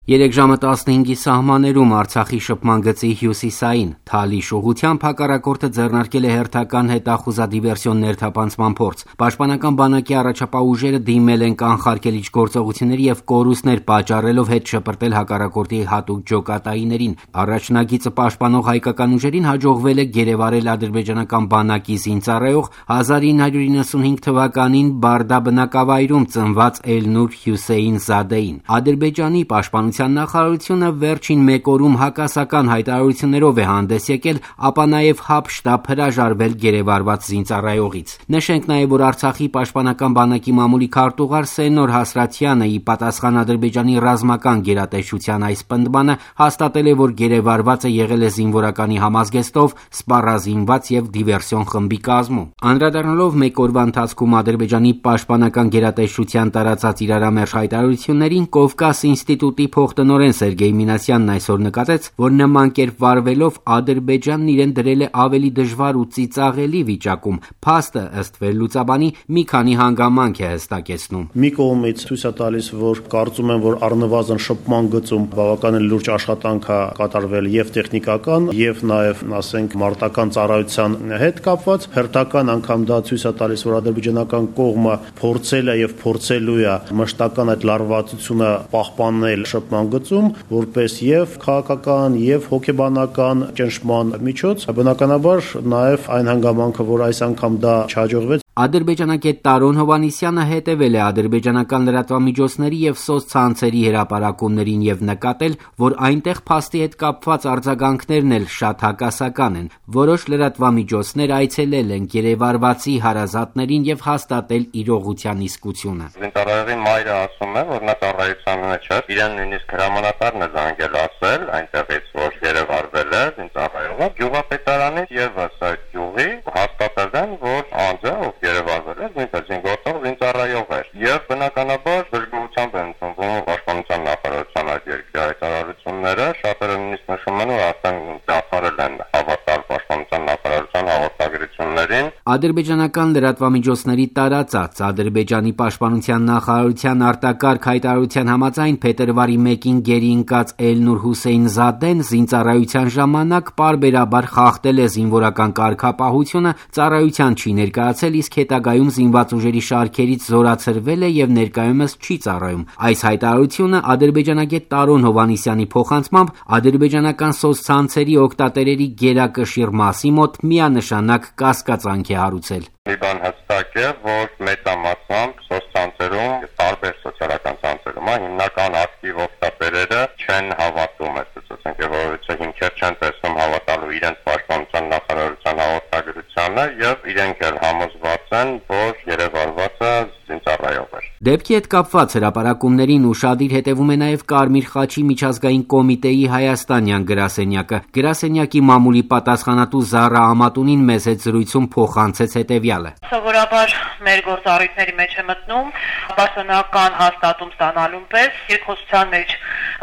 3 ժամը 15-ի սահմաններում Արցախի շփման գծի հյուսիսային Թալիշ ուղղությամբ հակառակորդը ձեռնարկել է հերթական հետախուզադիվերսիոն ներթափանցման փորձ։ Պաշտպանական բանակի առաջապահ ուժերը դիմել են կանխարգելիչ գործողությունների եւ կորուստներ պատճառելով հետ շպրտել հակառակորդի հատուկ ջոկատայիներին։ Առաջնագիծը պաշտպանող հայկական ուժերին հաջողվել է գերեվարել ադրբեջանական բանակի զինծառայող 1995 թվականին Բարդա բնակավայրում ծնված Էլնուր Հյուսեյն Զադեին։ Ադրբեջանի պաշտպանության նախարարությունը վերջին մեկ օրում հակասական հայտարարություններով է հանդես եկել, ապա նաև ՀԱՊ-շտաբ հրաժարվել գերեվարված զինծառայողից։ Նշենք նաև, որ Արցախի պաշտպանական բանակի մամուլի քարտուղար Սենոր Հասրաթյանը ի պատասխան Ադրբեջանի ռազմական գերատեսչության այս պնդմանը հաստատել է, որ գերեվարվածը եղել է զինվորականի համազգեստով սպառազինված եւ դիվերսիոն խմբի կազմում։ Անդրադառնալով մեկ օրվա ընթացքում Ադրբեջանի պաշտպանական գերատեսչության տարածած իրարամերժ հայտարարություններին, Կովկաս ինստիտուտի փոխտնօրեն Սերգեյ Մինասյանն այսօր նկատեց, որ նման կերպ վարվելով Ադրբեջանն իրեն դրել է ավելի դժվար ու ծիծաղելի վիճակում։ Փաստը ըստ վերլուծաբանի մի քանի հանգամանք է հստակեցնում։ Մի կողմից ցույց է տալիս, որ կարծում եմ, որ առնվազն շփման գծում բավականին լուրջ աշխատանք է կատարվել եւ տեխնիկական, եւ նաեւ, ասենք, մարտական ծառայության հետ կապված։ Հերթական անգամ դա ցույց է տալիս, որ ադրբեջանական կողմը փորձել է եւ փորձելու է մշտական այդ լարվածությունը պահպանել շփման գծում, որպես եւ քաղաքական եւ հոգեբանական ճնշման միջոց, բնականաբար նաեւ այն հանգամանքը, որ այս անգամ դա չհաջողվեց։ Ադրբեջանագետ Տարոն Հովհաննիսյանը հետևել է ադրբեջանական լրատվամիջոցների եւ սոցցանցերի հրապարակումներին եւ նկատել, որ այնտեղ փաստի հետ կապված արձագանքներն էլ շատ հակասական են։ Որոշ լրատվամիջոցներ այցելել են գերեվարվածի հարազատներին եւ հաստատել իրողության իսկությունը։ Զինծառայողի մայրը ասում է, որ նա ծառայության մեջ է, իրեն նույնիսկ հրամանատարն է զանգել ասել այնտեղից, որ գերեվարվել է զինծառայողը, գյուղապետարանից եւս այդ գյուղի հաստատել են, որ անձը գերեվարվել է զինգործող զինծառայող էր եւ բնականաբար դժգոհությամբ են ընդունվում պաշտպանության նախարարության այդ երկրի հայտարարությունները, շատերը նույնիսկ նշում են, որ արդեն դադարել են հավատալ պաշտպանության նախարարության հաղորդագրություններին։ Ադրբեջանական լրատվամիջոցների տարածած Ադրբեջանի պաշտպանության նախարարության արտակարգ հայտարարության համաձայն փետրվարի 1-ին գերի ընկած Էլնուր Հուսեյն Զադեն զինծառայության ժամանակ պարբերաբար խախտել է զինվորական կարգապահությունը, ծառայության չի ներկայացել, իսկ հետագայում զինված ուժերի շարքերից զորացրվել է եւ ներկայումս չի ծառայում։ Այս հայտարարությունը ադրբեջանագետ Տարոն Հովհաննիսյանի փոխանցմամբ ադրբեջանական սոցցանցերի օգտատերերի գերակշիռ մասի մոտ միանշանակ կասկածանք է հարուցել։ Մի բան հստակ է, որ մեծամասամբ սոցցանցերում, տարբեր սոցիալական ցանցերում, հիմնական ակտիվ օգտատերերը չեն հավատում այդ ցուցակավորության հիմքեր չեն տեսնում հավատալու իրենց պաշտպանության նախարարության հաղորդագրությանը եւ իրենք էլ համոզված են, որ երևարվածը զինծառայող է։ Դեպքի հետ կապված հրապարակումներին ուշադիր հետևում է նաև Կարմիր խաչի միջազգային կոմիտեի հայաստանյան գրասենյակը։ Գրասենյակի մամուլի պատասխանատու Զառա Ամատունին մեծ հետ զրույցում փոխանցեց հետևյալը։ Սովորաբար մեր գործառույթների մեջ է մտնում պաշտոնական հաստատում ստանալուն պես երկխոսության մեջ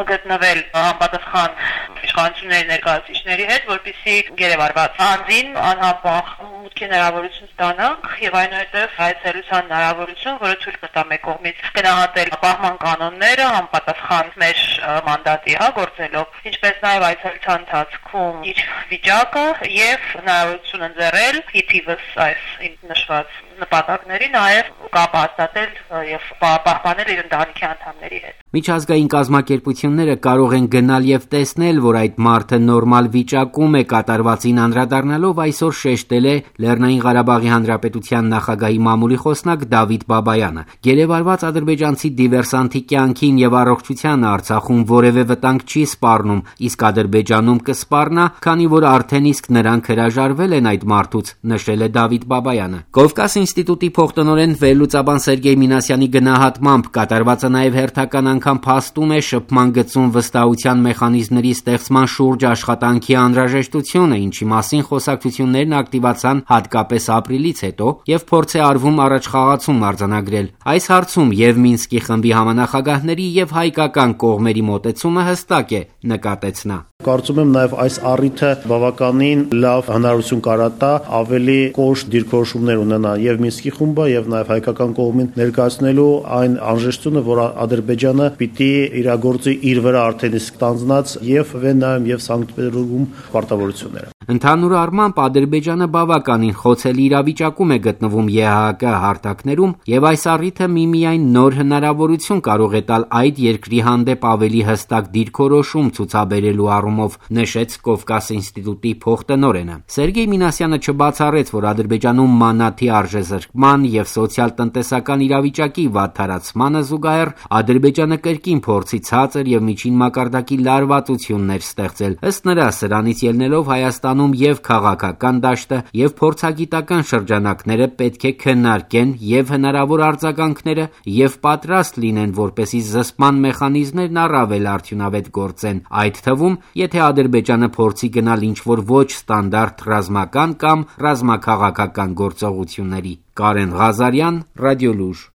գտնվել համապատասխան իշխանությունների ներկայացուցիչների հետ, որպեսզի գերեվարված անձին անհապաղ մուտքի հնարավորություն ստանանք եւ այնուհետեւ այցելության հնարավորություն, որը ցույց կտա մեկ կողմից գնահատել պահման կանոնները համապատասխան մեր մանդատի գործելով, ինչպես նաեւ այցելության ընթացքում իր վիճակը եւ հնարավորություն ընձեռել իթիվս այս նշված նպատակների նաեւ կապ հաստատել եւ պահպանել իր ընտանիքի անդամների հետ։ Միջազգային կազմակերպությունները կարող են գնալ եւ տեսնել, որ այդ մարդը նորմալ վիճակում է, կատարվածին անդրադառնալով այսօր շեշտել է Լեռնային Ղարաբաղի Հանրապետության նախագահի մամուլի խոսնակ Դավիթ Բաբայանը։ Գերեվարված ադրբեջանցի դիվերսանտի կյանքին եւ առողջությանը Արցախում որևէ վտանգ չի սպառնում, իսկ Ադրբեջանում կսպառնա, քանի որ արդեն իսկ նրանք հրաժարվել են այդ մարդուց, նշել է Դավիթ Բաբայանը։ Կովկաս ինստիտուտի փոխտնօրեն վերլուծաբան Սերգեյ Մինասյանի գնահատմամբ կատարվածը նաեւ հերթական անգամ փաստում է շփման գծում վստահության մեխանիզմների ստեղծման շուրջ աշխատանքի անհրաժեշտությունը, ինչի մասին խոսակցություններն ակտիվացան հատկապես ապրիլից հետո եւ փորձ է արվում առաջխաղացում արձանագրել։ Այս հարցում եւ Մինսկի խմբի համանախագահների եւ հայկական կողմերի մոտեցումը հստակ է, նկատեց նա։ Կարծում եմ նաև այս առիթը բավականին լավ հնարավորություն կարա ավելի կոշտ դիրքորոշումներ ունենա եւ Մինսկի խումբը եւ նաև հայկական կողմին ներկայացնելու այն անհրաժեշտությունը, որ Ադրբեջանը պիտի իրագործի իր վրա արդեն իսկ տանձնած եւ Վենայում եւ Սանկտ Պետերբուրգում պարտավորությունները։ Ընդհանուր առմամբ Ադրբեջանը բավականին խոցելի իրավիճակում է գտնվում ԵԱՀԿ հարթակներում եւ այս առիթը միմիայն նոր հնարավորություն կարող է տալ այդ երկրի հանդեպ ավելի հստակ դիրքորոշում ցուցաբերելու առումով, նշեց Կովկաս ինստիտուտի փոխտնօրենը։ Սերգեյ Մինասյանը չբացառեց, որ Ադրբեջանում մանաթի արժեզրկման եւ սոցիալ-տնտեսական իրավիճակի վատթարացմանը զուգահեռ Ադրբեջանը կրկին փորձի ցածր եւ միջին մակարդակի լարվածություններ ստեղծել։ Ըստ նրա, սրանից ելնելով Հայաստանում եւ քաղաքական դաշտը եւ փորձագիտական շրջանակները պետք է քննարկեն եւ հնարավոր արձագանքները եւ պատրաստ լինեն, որպեսզի զսպման մեխանիզմներն առավել արդյունավետ գործեն, այդ թվում, եթե Ադրբեջանը փորձի գնալ ինչ-որ ոչ ստանդարտ ռազմական կամ ռազմաքաղաքական գործողությունների։ Կարեն Ղազարյան, Ռադիոլուժ։